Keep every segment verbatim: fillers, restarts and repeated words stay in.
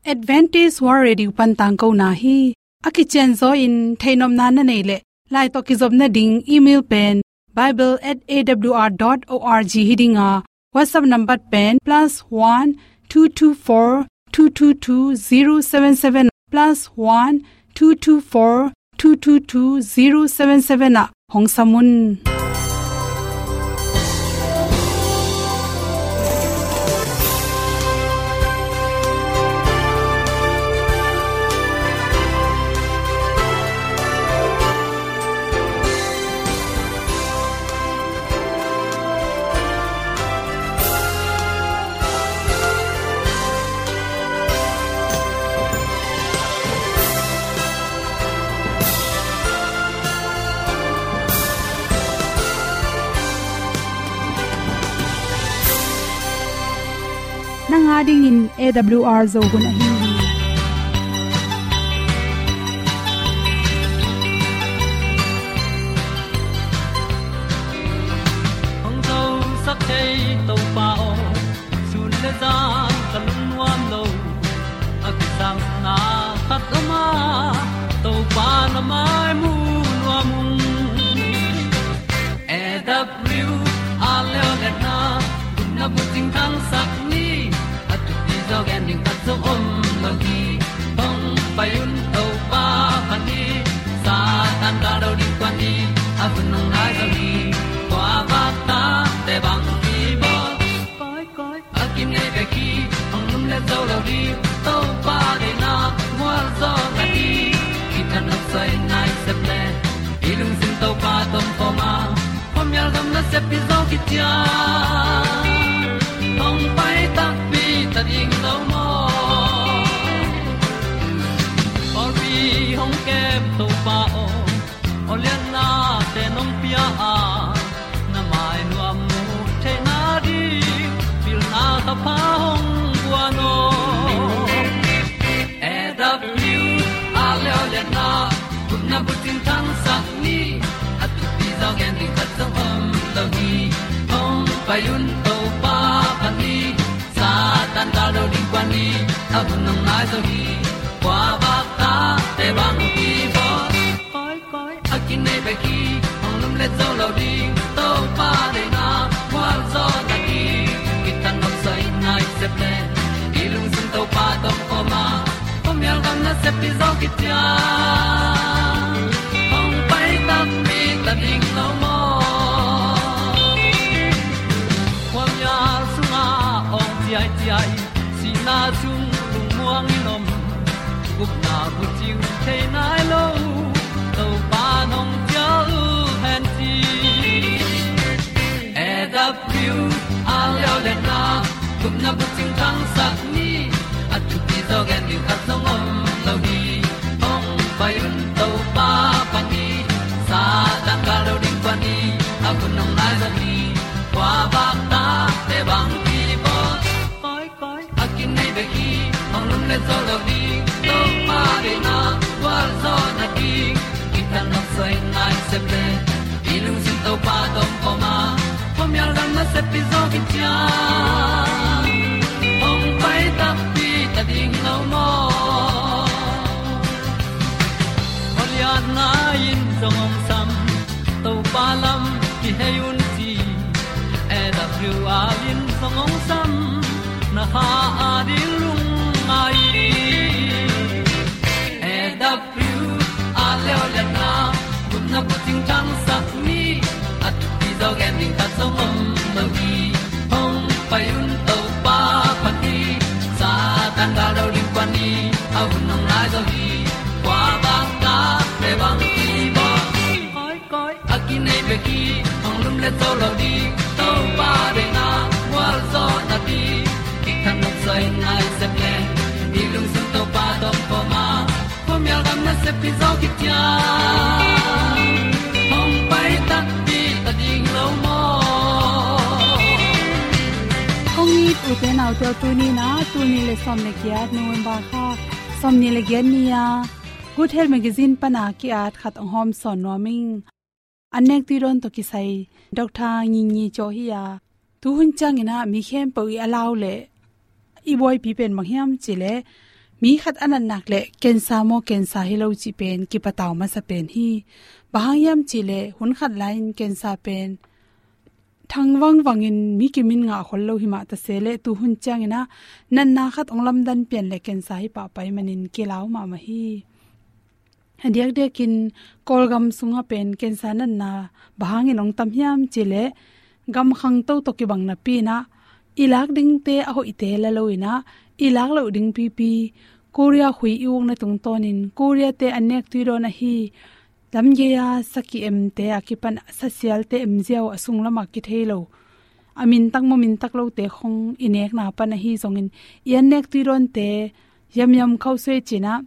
Adventist World Radio pan tangkona hi. A kicianzaw in theihnopna na neih leh, lai tawh kizopna ding email pen bible at A W R dot org hi ding a, WhatsApp number pen plus one two two four two two two zero seven seven, plus one two two four two two two zero seven seven ah hong sam un. Nang a dingin A W R Zo hun ahi hi. Hong zosak thei Topa aw, sun le zan ka lungnuam lo. A kisangna khat om a, Topa na mai mu nuam ung. A W R leo le na, gupna bucing thangsak ni, a thupi zaw gen ding khat zong om lo hi. Hong pai un Topa phat ni, Satan gal do ding kuan ni, a hun hong nai zaw hi. Kua vak tate bang kibawl, koi koi a kinei bek hi, hong lum le zo lo ding, Topa deihna mual zaw na hi. Kithat nop soi nai sep le, i lungsim Topa tawh om khawm a, khuamial gam nasep hi zaw khit ciang, hong pai takpi ta ding lo maw? Pawlpi hong kem Topa aw, awliatnate nong pia a, na mai nuam mu theihna ding pilna thapha hong guan aw. A W R leo le na, gupna bucing thangsak ni, a thupi zaw gen ding khat zong om lo hi. Hong pai un Topa phat ni, Satan gal do ding kuan ni, a hun hong nai zaw hi. Kua vak tate bang kibawl, koi koi a kinei bek hi, hong lum le zo lo ding, Topa deihna mual zaw na hi. Kithat nop soi nai sep le, i lungsim Topa tawh om khawm a, khuamial gam nasep hi zaw khit ciang, hong pai takpi ta ding lo maw? Khuamial sungah awng ciaiciai, sihna sung lungmuang in om, gupna bucing thei nai lo, Topa nong cial hen ci. A W R leo le na, gupna bucing thangsak ni, a thupi zaw gen ding khat zong om lo hi. Hong pai un Topa phat ni, Satan gal do ding kuan ni, a hun hong nai zaw hi. Kua vak tate bang kibawl, koi koi a kinei bek hi, hong lum le zo lo ding, Topa deihna mual zaw na hi. Kithat nop soi nai sep le, i lungsim Topa tawh om khawm a, khuamial gam nasep hi zaw khit ciang, hong pai takpi ta ding lo maw? Awliatna in zong hong sam, Topa lam kihei un ci. A W R in zong hong sam, na kha a ding lungngai. A W R leo le na, gupna bucing thangsak ni, a thupi zaw gen ding khat zong om lo hi. Hong pai un Topa phat ni, Satan gal do ding kuan ni, a hun hong nai zaw hi. Kua vak tate bang kibawl, koi koi a kinei bek hi, hong lum le zo lo ding, Topa deihna mual zaw na hi. Kithat nop soi nai sep le, i lungsim Topa tawh om khawm a, khuamial gam nasep hi zaw khit ciang, hong pai takpi ta ding lo maw? Kong it ute naute aw, tuni in ah, tul nih le sawm le giat November kha, sawm nih le giat ni-a Good Health Magazine pan a ki-at khat hong hawm sawn nuam ing. An nek tui dawn tawh kisai Doctor Ngingi Caw hi-a, tu hun ciangin ah mi khempeuh i a lau leh i buaipi pen bang hiam cih leh, Mi khat a natnak le cancer maw, cancer hi lo cih pen kipatau masa pen hi. Bang hang hiam cih leh hun khat lai-in cancer pen thang vangvangin mi kimin ngah khol lo hi mah ta se leh, tu hun ciangin ah natna khat hong lamdan pian le cancer hi pahpah ahih manin kilau mahmah hi. A diakdiakin Kawlgam sungah pen cancer natna bang hangin hong tam hiam cih leh, gam khangto tawh kibang napi-in ah i lak dingte a hoihte la lo-in ah, i lak loh ding pipi, Korea khui i ukna tungtawnin Korea-te an nek tui dawn ahi, lamgei-a sa ki-emte a kipan sa sialte em ziau a sunglamah kithei lo, a mintak maw mintak lote khong i nekna pan ahi zongin, i an nek tui dawnte, yamyam khausuai ci-in ah,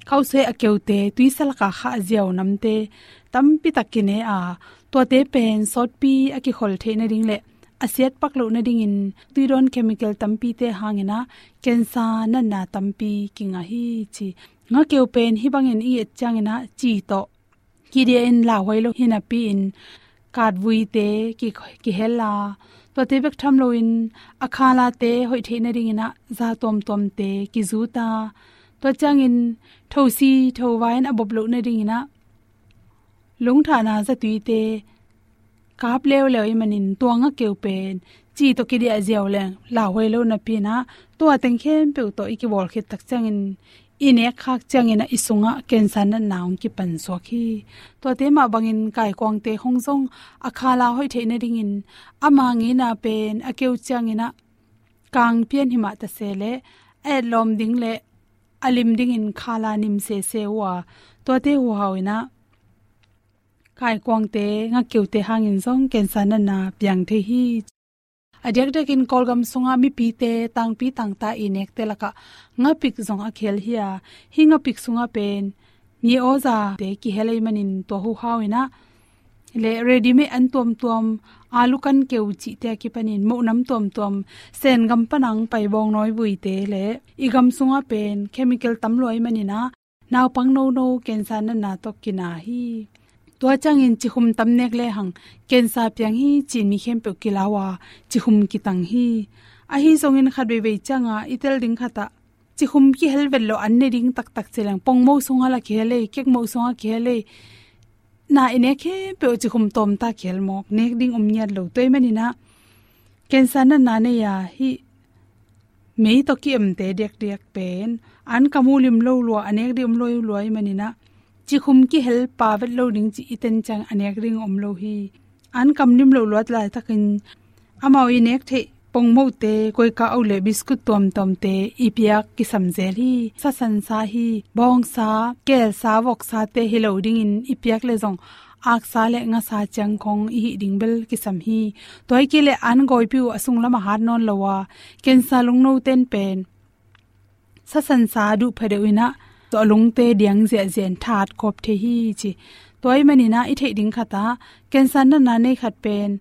khausuai a keute, tuisa lakah khah ziau namte tampi tak kine a, tuate pen sawtpi a kikhol theih nading le a siatpak loh nadingin tui dawn chemical tampite hangin ah cancer natna tampi kingah hi ci. Ngakeu pen hih bangin i et ciangin ah ci tawh kidiah in lauhuai lo hi napi-in, katvuite ki, kihel a, tuate bek tham loin a khalate hoih theih nadingin ah za tuamtuamte kizut a, tua ciangin thosi thovai in a bop loh nadingin ah lungthahna zatuite kap leuleu ahih manin, tua ngakeu pen ci tawh kidiah ziau leng lauhuai lo napi-in ah, tua teng khempeuh tawh i kibawl khit tak ciangin, i nek khak ciangin ah i sungah cancer natna hong kipan suak hi. Tuate mah bangin kaikuangte khong zong a khala hoih theih nadingin ama ngeina pen a keu ciangin ah kang pian hi mah ta se leh, a etlawm ding le a lim dingin khala nim sese uh a, tuate huhau-in ah kaikuangte, ngakeute hangin zong cancer natna piang thei hi. A diakdiakin Kawlgam sungah mipite tangpi tangta i nekte lakah ngapik zong a kihel hi a, hih ngapik sungah pen mi awzate kihel ahih manin tua huhau-in ah, le ready-made an tuamtuam, alu kan keu cihte a kipanin mohnam tuamtuam, Sen gam pan a hong pai bawngnawi vuite le i gam sungah pen chemical tam lua ahih manin ah, naupang nono cancer natna tawh kina hi. Tua ciangin cikhum tam nek lehang cancer piang hi ci-in mi khempeuh kilau a, cikhum kitang hi. Ahi zongin khat veivei ciangah i tel ding khatah cikhum kihel vet lo an ne ding taktak ci leng, pongmoh sungah lah kihel ei, kekmoh sungah kihel ei. Na i nek khempeuh cikhum tawmta kihel mawk, nek ding om ngiat lo. Tua ahih manin ah cancer natna nei a, hih mei tawh ki-emte diakdiak pen an kam uh lim lo lua, a nek ding om lo lua ahih manin ah, cikhum kihel pa vet lo ding ci i ten ciang a nek ding om lo hi. An kam lim lo luat laitakin amau i nek theih pongmohte, koika au le biskut tuamtuamte i piak kisam zel hi. Sasansa hi, bawngsa, kelsa, voksate hi lo dingin i piak leh zong aksa le ngasa ciang khong i hih ding bel kisam hi. Tua hi kei leh an gawipi uh a sunglamah hat nawn lo a, cancer lungnote'n pen sasansa duh phadeuh in ah, tua lungte diang ziahziah in thahat kawp thei hi ci. Tua ahih manin ah i theih ding khatah cancer natna nei khat pen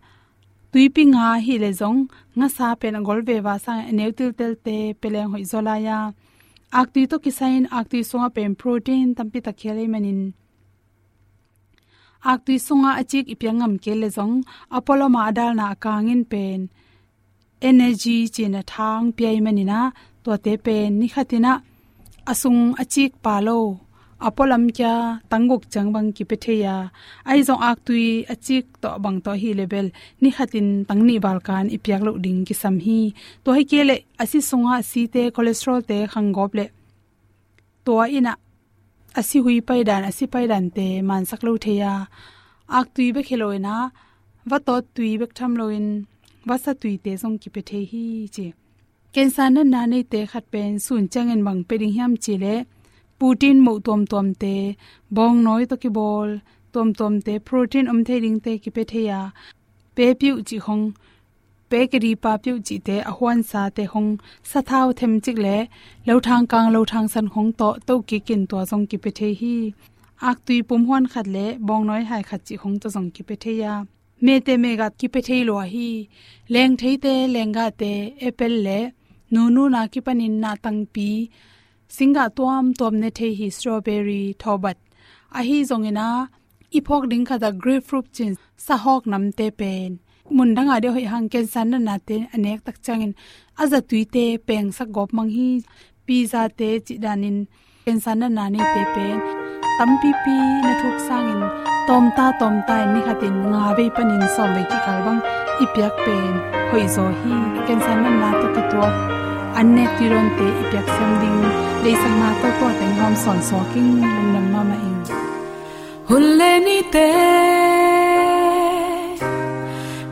tuipi nga hi leh zong ngasa pen a gol veva sangin a neu tiltelte pia leng hoih zaw lai a, aktui tawh kisai-in aktui sungah pen protein tampi tak kihel ahih manin, aktui sungah a cik i piak ngam kei leh zong a pualam a, a dalna a kangin pen energy ci-in a tha hong pia ahih manin ah, tuate pen ni khatin ah a sung a cik pa lo, a pualam kia tangguk ciang bang kipia thei a, ahi zong aktui a cik tawh bang tawh hi leh bel ni khatin tang nih val kan i piak loh ding kisam hi. Tua hi kei leh a si sungah a site, cholesterol-te khang gawp leh tua in ah a si hui paidan, a si paidante mansak lo thei a, aktui bek hi lo-in ah, vatawt tui bek tham loin vasa tuite zong kipia thei hi ci. Cancer natna neite khat pen sun ciangin bang pia ding hiam cih leh, putin moh tuamtuamte, bawngnawi tawh kibawl tuamtuamte, protein om thei dingte kipia thei a, pe piuh cih khong, pe kedi pa piuh cihte, a huansate khong, sathau themcik le lothang kang lothang san khong tawh tohkik in tua zong kipia thei hi. Aktui pumhuan khat le bawngnawi hai khat cih khong tawh zong kipia thei a, mete megat kipia thei lua hi. Lengtheite, lenggahte, apple le nununa kipanin nahtangpi, singgah tuamtuam ne thei hi, strawberry, thawbat. Ahi zongin ah, i phawk ding khatah grapefruit ci-in sahawk namte pen mun dangah deuh hoih hang cancer natnate a nek tak ciangin a zatuite pengsak gawp mang hi. pizza te cih danin cancer natna neite pen tampipi na thuk sangin tawmta tawmta in ni khatin nga vei panin sawm vei kikal bang i piak pen hoihzaw hi. Cancer natna tawh kituak an nek tuidawnte i piak siam ding deihsakna tawh tuah teng hawm sawn suak ing. Lungdam mahmah ing. Hun le nite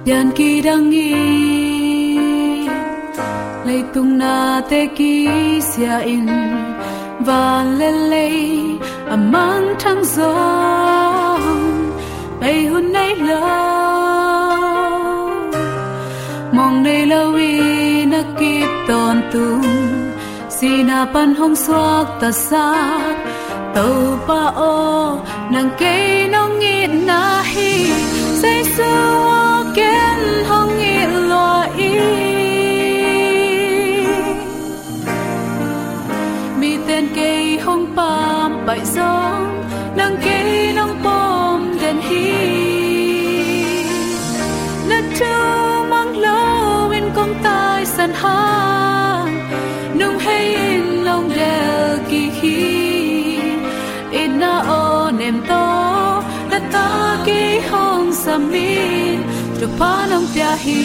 pian kidang in, leitung nate kisia in, van le lei a mangthang zong bei hun nei lo. Mong nei lo in a kip tawntung sihna pan hong suaktasak Topa aw, nang kei nong itna hi. Jesu aw, ken hong it lua ing. Miten kei hong pampaih zong nang kei nong pom den hi. Na thu mang lo in kong taisan hang, nung hei in nong del kik hi. Itna aw nem tawh na ta kei hong sam in, thupha nong pia hi.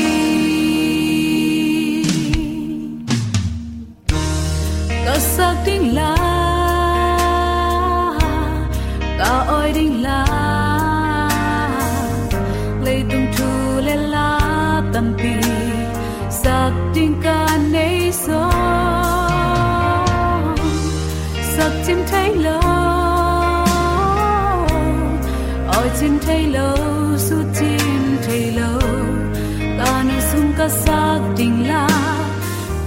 Ka sak ding la, ka awi ding la, leitung thu le la tampi sak ding ka nei zong, sak cin thei lo, awi cin thei lo, sut cin thei lo, ka nu sung ka sak ding la.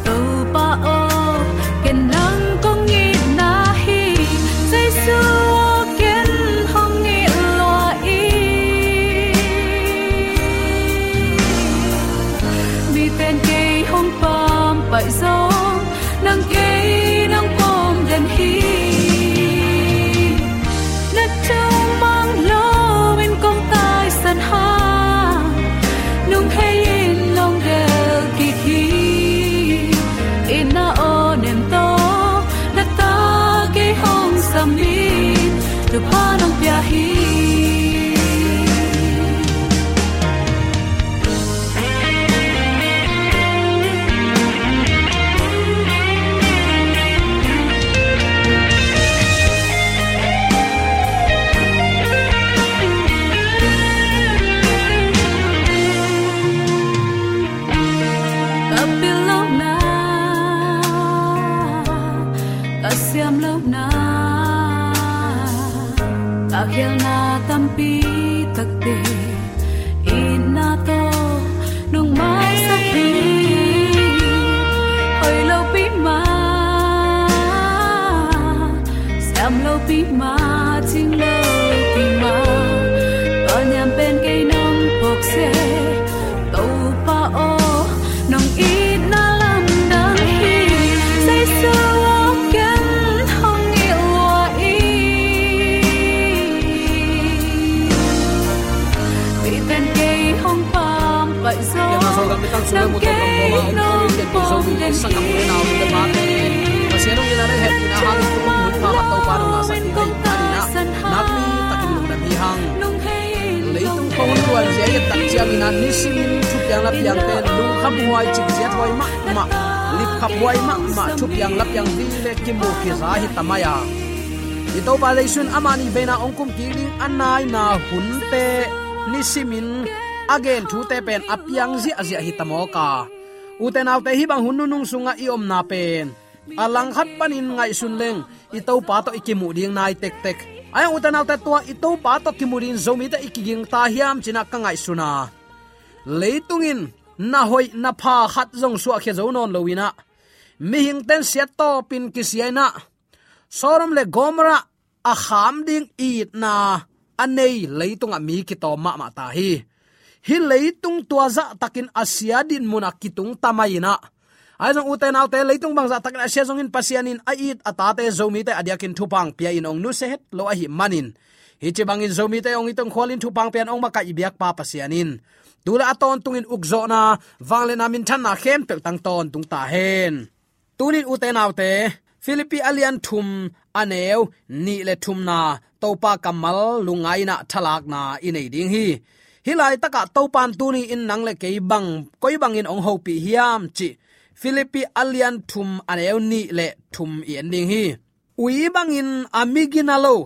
Topa aw, ken nang kong itna hi. Jesu aw, ken hong it lua ing. Miten kei hong pampaih zong nang kei nong pom den hi. Na thumang lo in kong taisan hang, nung hei in nong del kik hi. Itna aw nem tawh na ta kei hong sam in, thupha nong pia hi. Ka pil lohna, ka siam lohna, ka khialna tampi takte itna tawh nong maisak hi. Hoih lopi mah, siam lopi mah, cing lopi mah, tua niam pen kei nong phawk seh. Topa aw, nong itna lamdang hi. Jesu aw, ken hong it lua ing. Miten kei hong pampaih zong, nang kei nong pom den hi. Pasian hong itna le hehpihna hangin kum hun pha Topa nong ngahsak ding hi. Ahi in ah, nakpi takin lungdam hi hang. Leitung kong hun luan zia i et tak ciangin ah, nisimin thupiang lapiangte lungkham huai, cikziat huai mahmah, lipkhap huai mahmah, thupiang lapiang ding le kimu kiza hi ta mai a. I Topa Jesu in amah nih veina hong kum kik ding a naina hunte nisimin a gen thute pen a piang ziahziah hi ta mawk a. Ute naute, hih bang hun nunung sungah i omna pen a langkhat panin ngaihsun leng i Topa tawh i kimuh ding nai tektek. Ahi hang ute naute, tua i Topa tawh kimuh dingin Zomite i kiging ta hiam ci-in ah ka ngaihsun a. Leitung in na hoih na pha khat zong suahkhia zo nawn lo-in ah, mihingte in siat tawpin kisia-in ah, Sodom le Gomorrah a kham ding itna a nei leitungah mi kitawm mahmah ta hi. Hih leitung tua zahtakin a sia dinmunah kitung ta mai-in ah, ahi zong ute naute, leitung bang zahtakin a sia zongin Pasian in a it a tate Zomite a diakin thupha hong pia-in hong nusia het lo ahih manin, hih ci bangin Zomite hong it hong khualin thupha hong pia-in hong makaih i biakpa Pasian in tu le a tawntungin ukzawhna, vangliatna, minthanna khempeuh tang tawntung ta hen. Tuni-in ute naute, Philippi a lian thum a neu nih le thumna Topa kammal lungngaina thalakna i nei ding hi. Hih laitakah Topa in tuni in nang le kei bang koi bangin hong hopih hiam cih Philippi a lian thum a neu nih le thum i en ding hi. Ui bangin a migina lo,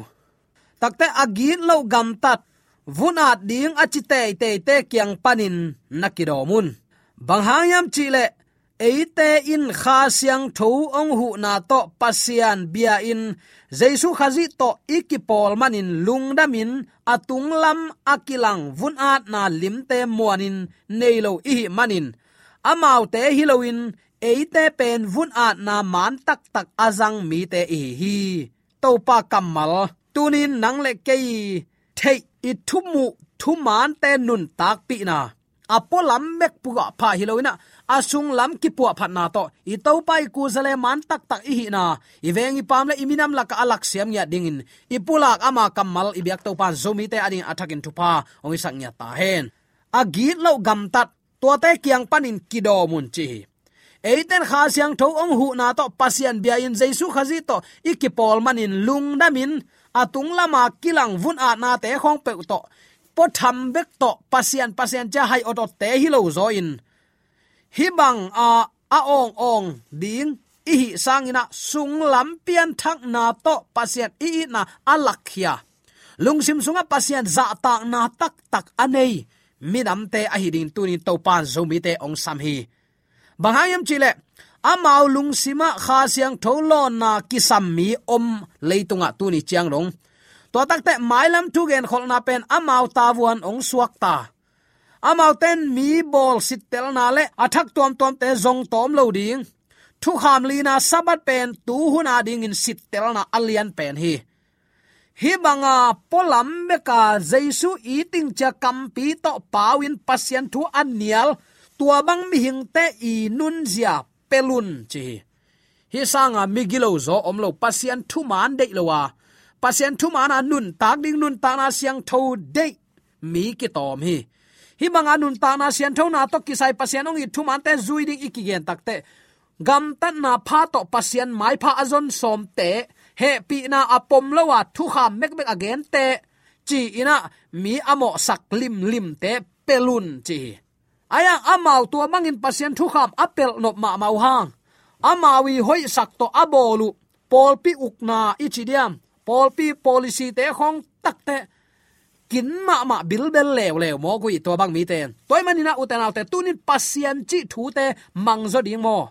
takte a gitloh gamtat, vun-at ding a ci teiteite kiang panin na kidawm un. Bang hang hiam cihleh, eite in Kha Siangtho hong huhna tawh Pasian bia-in Jesu Khazih tawh i kipawl manin lungdamin a tunglam a kilang vun-atna limte muanin nei lo i hih manin, amaute hi loin eite pen vun-atna maan taktak a zang mite i hi hi. Topa kammal, tunin nang le kei theih i thumuh thumaante nuntakpihna, a pualam bek puahpha hi loinah, a sunglam kipuahphatna tawh i Topa i kuza le maan taktak i hihna, i veng i paam le i minam lakah a laksiam ngiat dingin i pulak ama kammal i biak Topa in Zomite a dingin a thakin thupha hong hisak ngiat ta hen. A gitloh gamtat, tuate kiang panin kidawm un ci hi. Eite in Kha Siangtho hong huhna tawh Pasian bia-in Jesu Khazih tawh i kipawl manin lungdamin a tunglama kilang vun-atnate khawng peuh tawh, puatham bek tawh Pasian, Pasian cia hai awtaw te hi lo zaw in, hih bang a, a awng awng ding i hih sanginah sunglam pianthakna tawh Pasian i itna a lakkhia, lungsim sungah Pasian zahtakna taktak a nei minamte ahi dingin tunin Topa in Zomite hong sam hi. Bang hang hiam cihleh, amau lungsimah Kha Siangtho lawnna kisam mi om leitungah tuni ciang dong, tua takte mailam thugen kholhna pen amau tavuan hong suakta. Amaute in mi bawl sittelna le a thak tuamtuamte zong tawm lo ding. Thukham lina Sabbath pen tuhun a dingin sittelna a lian pen hi. Hih banga pualam beka Jesu iting cia kampi tawh pau-in Pasian thu a nial, tua bang mihingte i nunzia pelun ci hi. Hih sanga migilo zaw om lo, Pasian thumaan deih lo a, Pasian thumaan a nuntak ding, nuntakna siangtho deih mi kitawm hi. Hih banga nuntakna sianthona tawh kisai Pasian hong it thumaante zui ding i kigen takte, gamtatna pha tawh Pasian maipha a zon sawmte, hehpihna a pom lo a thukham mekmek a gente, ci-inah mi a mawhsak limlimte pelun ci hi. Ayang amau tua bangin Pasian thukham a pelh nop mahmah uh hang, amau i hoihsak tawh a bawl uh pawlpi ukna i ci diam, pawlpi policy-te khawng takte kin mahmah bilbel leuleu mawk uh hi tua bang mite. Tua ahih maninah ute naute, tunin Pasian cih thute mangzaw ding maw?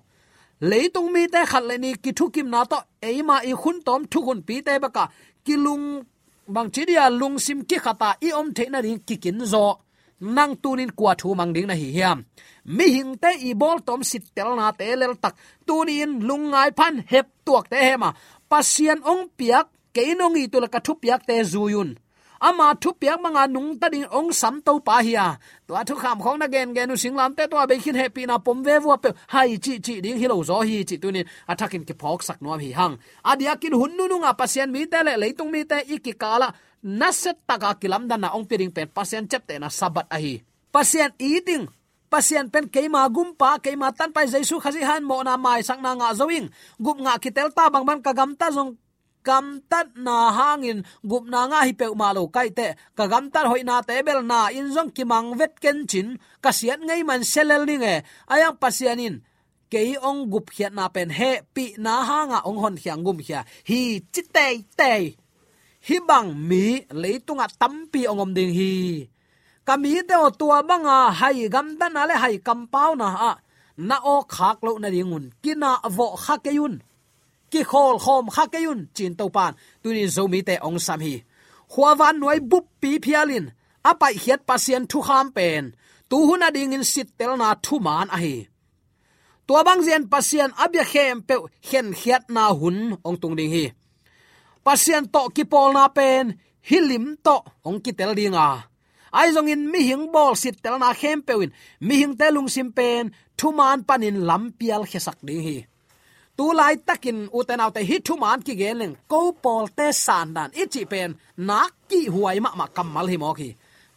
Leitung mite khat le ni kithukimna tawh eima i khuntawm thukhunpite bekah kilung bangci dia lungsim kikhata i om theih nading kikinzaw. Nang tunin kua thu mang ding na hi hiam? Mihingte i bawltawm sittelnate leltak, tunin lungngai phan heptuakte hema, Pasian hong piak, kei nong it uh le ka thupiakte zui un. Ama thupiak manga nungta dingin hong sam Topa hi a, tua thukham khawng na gengen uh singlamte tua bei khin hehpihna pom vevua peuh hai cihcih ding hi lo zaw hi cih tunin a thakin kiphawksak nuam hi hang. A diakin hun nununga Pasian mite le leitung mite i kikalah nasettaka kilamdanna hong pia ding pen Pasian ciaptehna Sabbath ahi. Pasian iting, Pasian pen keima gumpa, keima tanpa i Jesu Khazih hangin mawhna maisakna ngah zo ing. Gupna ngah kitelta bangbang ka gamtat zong gamtatna hangin gupna ngah hi peuhmah lo kaite, ka gamtat hoihnate bel na in zong kimang vet kencin, ka siat ngei man selel ning e. Ayang Pasian in kei hong gupkhiatna pen hehpihna hanga hong honkhiang gumkhia hi ci teitei. Hih bang mi leitungah tampi hong om ding hi. Ka mite aw, tua banga hai gamtatna le hai kampauna ah na awkkhak loh nadingun kinahvawh kha kei un. Kikhawlkhawm kha kei un, ci-in Topan tunin Zomite hong sam hi. Khuavan nuai buppi phialin a paihkhiat Pasian thukham pen tuhun a dingin sittelna thuman ahi. Tua bangzian Pasian a bia khempeuh khenkhiatna hun hong tung ding hi. Pasian tawh kipawlna pen hih lim tawh hong kitel dinga, ahi zongin mihing bawl sittelna khempeuh in mihingte lungsim pen thuman panin lampial khiasak ding hi. Tu laitakin ute naute, hih thuman kigen leng ko pawlte sandan i cih pen nak kihhuai mahmah kammal hi mawk hi.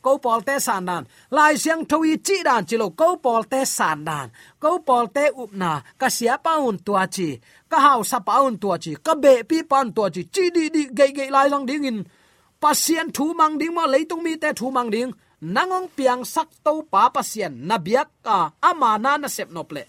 Ko pawlte sandan, Lai Siangtho i cihdan ci lo, ko pawlte sandan, ko pawlte upna, ka siapa un tua ci, ka hausapa un tua ci, ka behpipa un tua ci, ci dihdih geihgeih lai zang dingin Pasian thu mang ding maw, leitung mite thu mang ding? Nang hong piangsak Topa Pasian na biak a, ama na na sep nop leh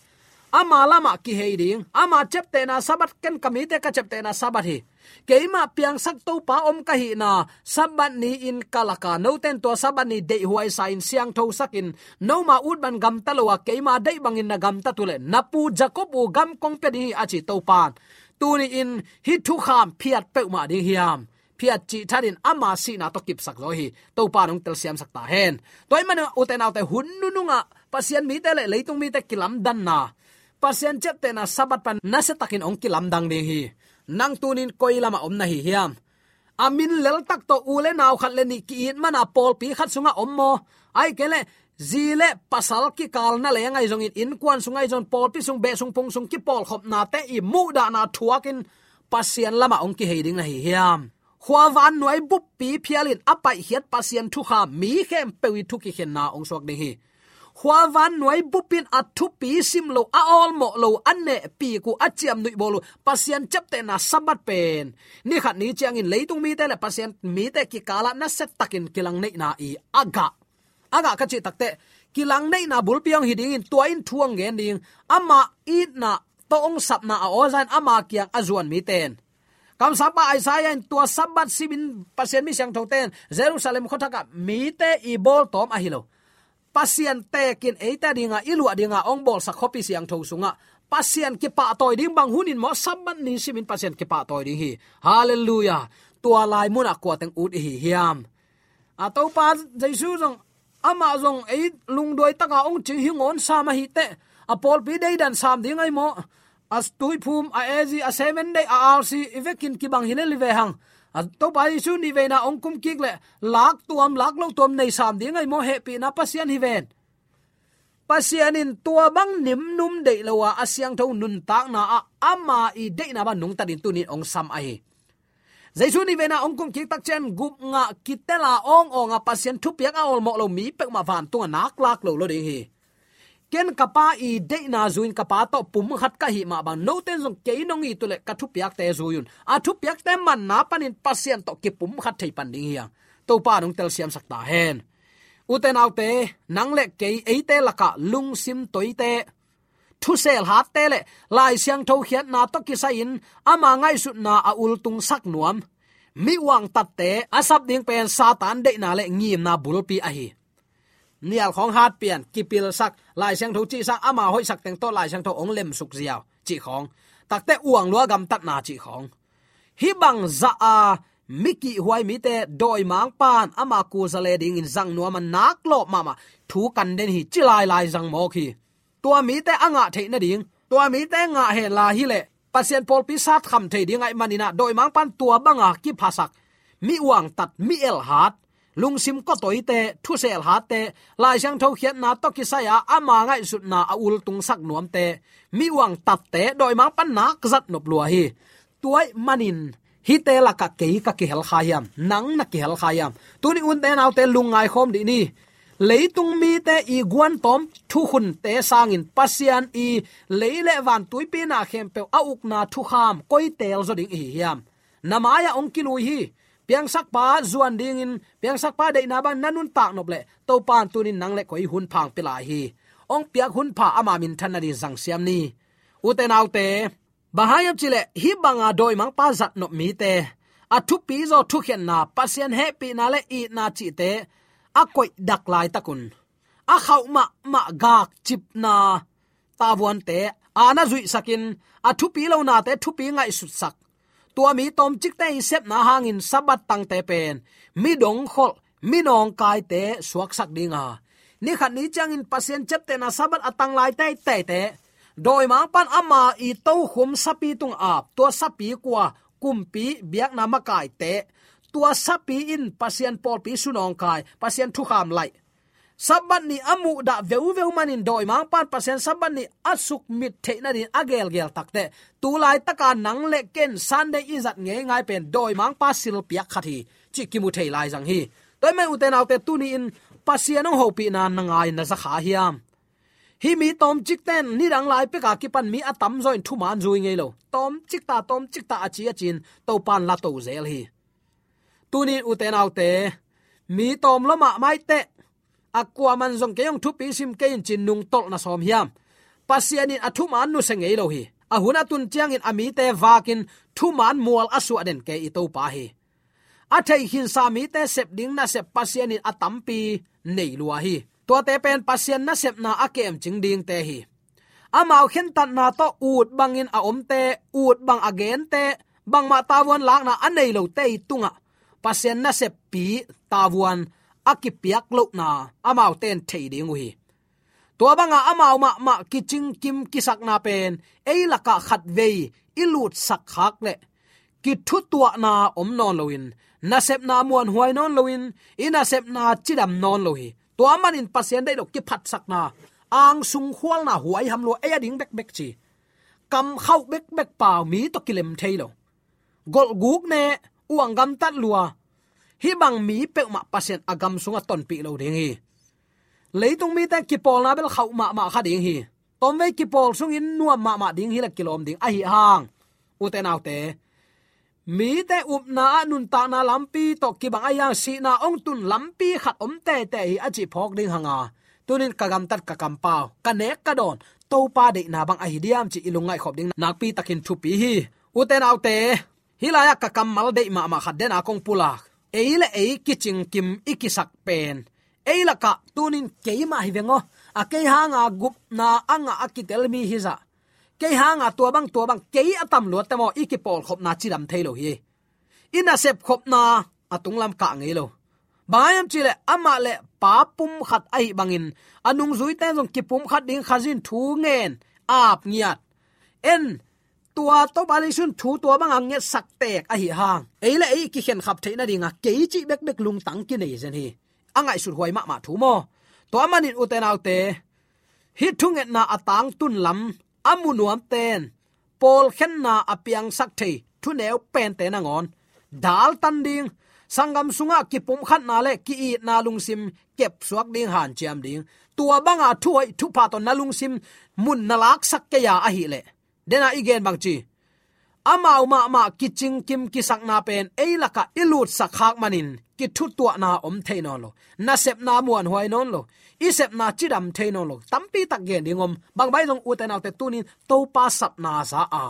ama lamah kihei ding. Ama ciaptehna Sabbath, ken ka mite ka ciaptehna Sabbath hi. Keimah piangsak Topa om ka hihna, Sabbath ni-in ka lak a, note in tua Sabbath ni deihhuai sa-in siangthosak in, noma ut bang gamta lo a, keima deih bangin na gamtat uh leh na pu Jacob uh gam kong pia ding hi, a ci Topa in. Tuni-in hih thukham phiat peuhmah ding hiam? Phiat cih thatin ama sihna tawh kipsak zaw hi. Topa in hong telsiamsak ta hen. Tua ahih manin ute naute, hun nunungah Pasian mite le leitung mite kilamdanna, Pasian ciaptehna Sabbath pan nasiatakin hong kilamdang ding hi. Nang tunin koi lamah om na hi hiam? A min leltak tawh u le nau khat le nih ki-it mana pawlpi khat sungah om maw? Ahih kei leh zi le pasal kikal na leng ahi zongin, innkuan sung ahi zongin, pawlpi sung, beh sung, phung sung kipawlkhopnate i muhdahna thuakin Pasian lamah hong kihei ding na hi hiam? Khua vannuai buppi phialin a paihkhiat Pasian thukham mi khempeuh i thu kikhenna hong suak ding hi. Khua vannuai bup in a thupi sim lo, a awlmawh lo, a nehpik uh, a ciamnuih bawl uh Pasian ciaptehna Sabbath pen ni khat ni ciangin leitung mite le Pasian mite kikalah nasiatakin kilangneihna i a gah, a gah ka cih takteh, kilangneihna bulpi hong hi dingin tua in thu hong gen ding. Ama itna tawh hong sapna a aw za in ama kiang a zuan mite in, kamsangpa Isaiah in tua Sabbath simin Pasian mi siangthote in Jerusalem khuathakah mite i bawltawm ahi lo, Pasian tekin eite dinga, i luah dinga hong bawlsak khuapi siangtho sungah Pasian kipahtawi ding bang hunin maw, Sabbath ni simin Pasian kipahtawi ding hi. Halleluiah. Tua lai munah kua teng ut i hi hiam? A Topa Jesu zong, amah zong ei lungduai taka hong cing hi ngawn sam ahi teh, a pawlpi deidan sam ding ahi maw? A tuiphum, a A G, a Seven Day, a R C i vekin kibang hi lel hi ve hang. A Topa Jesu nihveina hong kum kik leh lak tuam, lak lo tuam nei sam ding ahi maw? Hehpihna Pasian hi ven. Pasian in tua bang nimnum deih lo a, a siangtho nuntakna ah ama i deihna bang nungtatin tunin hong sam ahi. Jesu nihveina hong kum kik tak ciang gupngah kitela awngawng a Pasian thupiak a awlmawh lo mi peuhmah vantung a naklak lo lo ding hi. Ken ka Pa i deihna zui-in ka Pa tawh pumkhat ka hih mah bang, note in zong kei nong it uh leh ka thupiakte zui un. A thupiakte manna panin Pasian tawh kipumkhat thei pan ding hi hang. Topa in hong telsiamsak ta hen. Ute naute, nang le kei, eite lakah lungsim toite, thusel hatte le Lai Siangtho khiatna tawh kisai-in ama ngaihsutna a ultungsak nuam mi uangtatte a sap ding pen Satan deihna le ngimna bulpi ahi. Nial khawng hat pian, kipilsak, Lai Siangtho cihsak, ama hoihsak teng tawh Lai Siangtho hong lemsuk ziau cih khawng, takte uang lua gamtatna cih khawng. Hih bang zah a mi kihhuai mite dawimangpa'n ama kuzale dingin zang nuam a, naklawp mahmah, thu kan den hi, ci lailai zang mawk hi. Tua mite a ngah theih nading, tua mite ngah hen la hileh Pasian pawlpi satkham thei ding ahih manin ah dawimangpa'n tua banga kiphasak mi uangtat, mi elhat, lungsim kawtoite, thuselhatte, Lai Siangtho khiatna tawh kisai-a ama ngaihsutna a ultungsak nuamte, mi uangtatte dawimangpa'n nak zat nop lua hi. Tua ahih manin hihte lakah kei ka kihel kha hiam? Nang na kihel kha hiam? Tuni unte naute, lungngai khawm dih ni. Leitung mite i guantawm thukhunte sangin Pasian i lei le van tuipi na khempeuh a ukna thukham koi teel zaw ding i hi hiam? Na mai-ah hong kilui hi. Piangsakpa zuan dingin, piangsakpa deihna bang na nuntak nop leh Topa'n tunin nang le koi hunpha hong pia lai hi. Hong piak hunpha ama minthan nading zangsiam ni. Ute naute, bang hang hiam cih leh hih banga dawimangpa zatnop mite, a thupi zaw thukhenna, Pasian hehpihna le itna cihte a koihdak laitakun, a khauh mahmah gakcipna tavuante a na zuihsakin, a thupi lonate thupi ngaihsutsak, tua mi tawmcikte i sepna hangin Sabbath tangte pen mi dongkholh, mi nawngkaite suaksak dinga, ni khat ni ciangin Pasian ciaptehna Sabbath a tang lai teiteite, dawimangpa'n ama i tokhum sapi tungah ap, tua sapi kua, kumpi, biakna makaite, tua sapi in Pasian pawlpi su nawngkai, Pasian thukham laih. Sabbath ni a muhdah veuveu manin dawimangpa'n Pasian Sabbath ni a sukmit theih nading a gelgel takteh, tu laitaka nang le ken Sunday i zat ngeingai pen dawimangpa silpiak khat hi cih kimu thei lai zang hi. Tua ahih manin ute naute, tuni-in Pasian hong hopihna na ngai na za kha hiam? Hih mi tawmcik ten nidang lai peka kipan mi a tamzaw in thuman zui ngei lo. Tawmcik ta, tawmcik ta a ci a ci-in Topan la to zel hi. Tunin ute naute, mi tawm lua mahmah i teh, a kuaman zong kei hong thupi sim kei in ci-in nungtolh na sawm hiam? Pasian in a thuman nusia ngei lo hi. A hun a tun ciangin a mite vakin thuman mual a suah den kei i Topa hi. A theikhinsa mite sep ding nasep Pasian in a tampi nei lua hi. Tuate pen Pasian nasepna a kemcing dingte hi. Amau khentatna tawh ut bangin a omte, ut bang a gente, bangmah tavuan lakna a nei lote i tungah Pasian naseppi tavuan a kipiak lohna amaute in thei ding uh hi. Tua banga amau mahmah kicingkim kisakna pen ei lakah khatvei i lutsak khak leh kithutuahna om nawn loin, nasepna muanhuai nawn loin, i nasepna cidam nawn lo hi. Tua manin Pasian deih lo kiphatsakna, angsung khualna huaiham lua, ei a ding bekbek ci. Kam khauh bekbek pau, mi tawh kilem thei lo. Golhguk ne, uang gamtat lua. Hih bang mi peuhmah Pasian a gam sungah tonpih lo ding hi. Leitung mite kipawlna bel khauh mahmah kha ding hi. Tawmvei kipawl sungin nuam mahmah ding hi le kilawm ding ahi hang, ute naute, mite upna ah nuntakna lampi tawh kibang ahi hang sihna hong tun lampi khat om tete hi a cih phawk ding hanga, tunin ka gamtat ka kampau, ka nek ka dawn, Topa deihna bang ahi diam cih i lungngaih khop ding nakpi takin thupi hi. Ute naute, hih lai-ah ka kammal deih mahmah khat dena kong pulak. Ei le ei kicingkim i kisak pen ei lakah tunin keimah hi veng aw. A kei hanga gupna a ngah a kitel mi hi zah. Kei hanga tua bang tua bang kei a tam luat teh maw, i kipawlkhopna cidam thei lo hi. I nasepkhopna a tunglam kah ngei lo. Bang hiam cihleh amah le pa pumkhat ahi bangin a nungzuite zong kipumkhat ding Khazin thu ngen, ap ngiat. En, tua Topa Jesu in thu tua banga ngetsak tek ahi hang, ei le ei kikhenkhap theih nadinga kei cih bekbek lungtang kinei zen hi. A ngaihsut huai mahmah thu maw? Tua manin ute naute, hih thungetna a tangtun lam a mu nuamten pawlkhenna a piangsak thei thuneu pente nangawn daltan ding, sanggam sungah kipumkhatna le ki-itna lungsim kepsuak ding hanciam ding. Tua banga thuhoih thupha tawh na lungsim mun na laksak kei a ahileh, dena i gen bangci, amau mahmah kicingkim kisakna pen ei lakah i lutsak khak manin kithutuahna om thei nawn lo, nasepna muanhuai nawn lo, i sepna cidam thei nawn lo. Tampi tak gen ding om, bang bai zong ute naute tunin Topa sapna za a,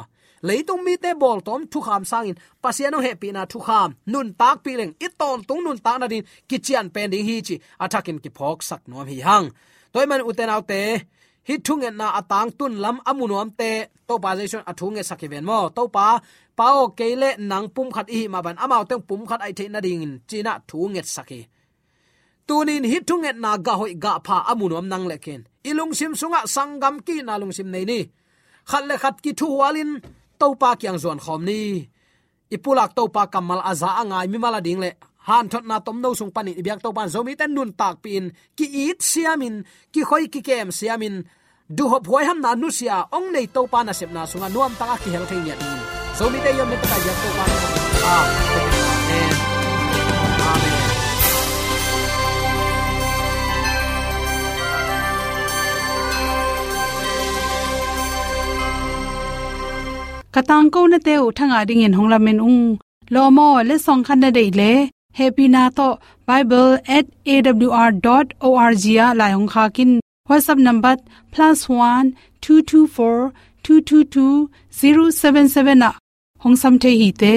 leitung mite bawltawm thukham sangin Pasian hong hehpihna thukham nuntakpih leng i tawntung nuntak nadin kician pen ding hi cih a thakin kiphawksak nuam hi hang. Tua ahih manin ute naute, hih thungetna a tangtun lam a mu nuamte Topa Jesu in a thu ngetsak hi ven maw? Topa, Pa aw, kei le nang pumkhat i hih mah bangin amaute pumkhat a hih theih nadingin ci-in a thu ngetsak hi. Tunin hih thungetna gah hoih gah pha a mu nuam nang le kei in i lungsim sungah sanggam ki-itna lungsim nei ni. Khat le khat kithuhualin Topa kiang zuan khawm ni. I pulak Topa kammal a za a ngai mimal a ding le hanthotna tomno sung panin i biak Topa in Zomite nuntakpih in, ki-it siamin, kikhoi kikem siamin, duhhop huaihamna nusia hong nei Topa nasepna sungah nuamtaka kihel thei ngiat dingin Zomite i om nuntakah i biak Topa in. Amen. Amen. Ka tangkonate uh thangah dingin hong lamen ung. Lawm aw, letsong khat na deih leh, hehpihna tawh bible at A W R dot O R G ah lai hong khak in. WhatsApp number plus one two two four two two two zero seven seven ah hong sam thei hi te.